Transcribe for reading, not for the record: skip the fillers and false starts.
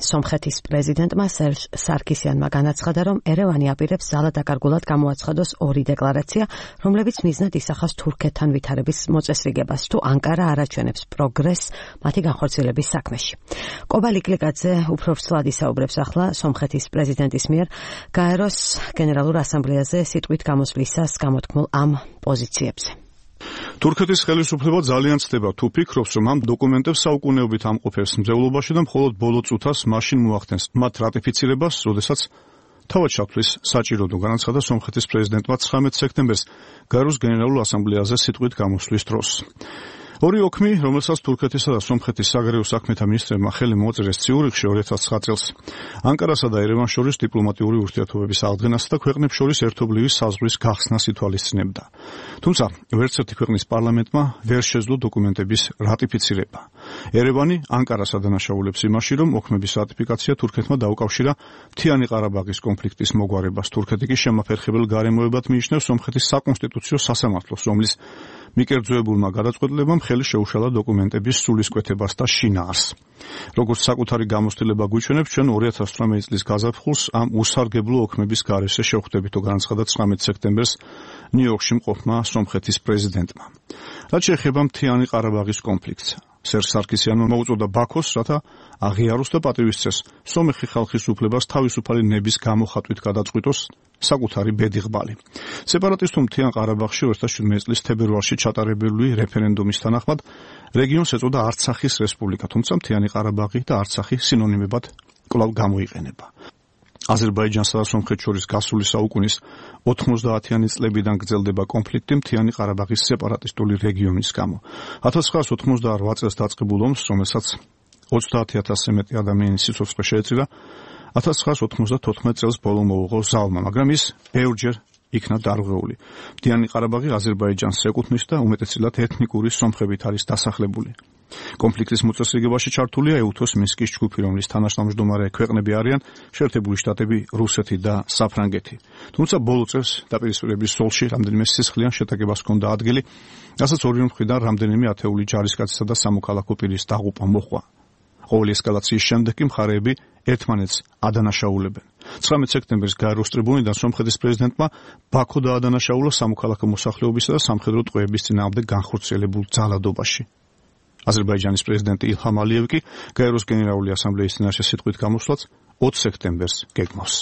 სომხეთის პრეზიდენტმა სერჟ სარქისიანმა განაცხადა, რომ ერევანი აპირებს ძალადაკარგულად გამოაცხადოს ორი დეკლარაცია, რომლებიც მიზნად ისახავს თურქეთთან ვითარების მოწესრიგებას, თუ ანკარა არ აჩვენებს პროგრესს მათი განხორციელების საქმეში. კობა ლიკლიკაძე უფრო ვრცლად ისაუბრებს ახლა სომხეთის პრეზიდენტის მიერ გაეროს გენერალურ ასამბლეაზე სიტყვით გამოსვლისას გამოთქმულ ამ პოზიციებზე. თურქეთის ხელისუფლება ძალიან ცდება თუ ფიქრობს, რომ ამ დოკუმენტებს საუკუნეობით ამყოფებს მძევლობაში და მხოლოდ ბოლო წუთას მაშინ მოახდენს მათ რატიფიცირებას, როდესაც თავად ჩათვლის საჭიროდო, განაცხადა სომხეთის პრეზიდენტმა 19 სექტემბერს გაეროს გენერალურ ასამბლეაზე სიტყვით გამოსვლის დროს. ორი ოქმი, რომელსაც თურქეთისა და სომხეთის საგარეო საქმეთა მინისტრებმა ხელი მოაწერეს ციურიხში 2009 წელს, ანკარასა და ერევანს შორის დიპლომატიური ურთიერთობების აღდგენასა და ქვეყნებს შორის ერთობლივი საზღვრის გახსნას ითვალისწინებდა. თუმცა, ვერც ერთი ქვეყნის პარლამენტმა ვერ შეძლო დოკუმენტების რატიფიცირება. ერევანი ანკარას ადანაშაულებს იმაში, რომ ოქმების რატიფიკაცია თურქეთმა დაუკავშირა მთიანი ყარაბაღის კონფლიქტის მოგვარებას. თურქეთი კი შემაფერხებელ გარემოებად მიიჩნევს სომხეთის საკონსტიტუციო სასამართლოს, რომლის მიკერძოებულმა გადაწყვეტილებამ ხელი შეუშალა დოკუმენტების სულისკვეთებას და შინაარს. როგორც საკუთარი გამოცდილება გვიჩვენებს, ჩვენ 2018 წლის გაზაფხულს ამ უსარგებლო ოქმების გარეშე შევხვდებითო, განაცხადა 19 სექტემბერს ნიუ-იორკში მყოფმა სომხეთის პრეზიდენტმა. რაც შეეხება მთიანი ყარაბაღის კონფლიქტს, სერჟ სარქისიანმა მოუწოდა ბაქოს, რათა აღიაროს და პატივისცეს სომეხი ხალხის უფლებას თავისუფალი ნების გამოხატვით გადაწყვიტოს საკუთარი ბედიღბალი. სეპარატისტულ მთიან ყარაბაღში 2017 წლის თებერვალში ჩატარებული რეფერენდუმის თანახმად რეგიონს ეწოდა არცახის რესპუბლიკა, თუმცა მთიანი ყარაბაღი და არცახი სინონიმებად კვლავ გამოიყენება. აზერბაიჯანსა და სომხეთს შორის გასული საუკუნის 90-იანი წლებიდან გრძელდება კონფლიქტი მთიანი ყარაბაღის სეპარატისტული რეგიონის გამო. 1988 წელს დაწყებულ ომს, რომელსაც 30,000-ზე მეტი ადამიანის სიცოცხლე შეეწირა, 1994 წელს ბოლო მოუღო ზავმა, მაგრამ ის ბევრჯერ იქნა დარღვეული. მთიანი ყარაბაღი აზერბაიჯანს ეკუთვნის და უმეტესწილად ეთნიკური სომხებით არის დასახლებული. კონფლიქტის მოწესრიგებაში ჩართულია ეუთოს მინსკის ჯგუფი, რომლის თანაშემამჯდომარე ქვეყნები არიან შეერთებული შტატები, რუსეთი და საფრანგეთი. თუმცა ბოლო წელს დაპირისპირების ზოლში რამდენიმე სისხლიან შეტაკებას ჰქონდა ადგილი, რასაც ორივე მხრიდან რამდენიმე ათეული ჯარისკაცისა და სამოქალაქო პირის დაღუპვა მოჰყვა. ყოველი ესკალაციის შემდეგ კი მხარეები ერთმანეთს ადანაშაულებენ. 19 სექტემბერს გაეროს ტრიბუნიდან სომხეთის პრეზიდენტმა ბაქო დაადანაშაულა სამოქალაქო მოსახლეობისა და სამხედრო ტყვეების წინააღმდეგ განხორციელებულ ძალადობაში. აზერბაიჯანის პრეზიდენტი ილჰამ ალიევი კი გაეროს გენერალური ასამბლეის წინაშე სიტყვით გამოსვლაც 20 სექტემბერს გეგმავს.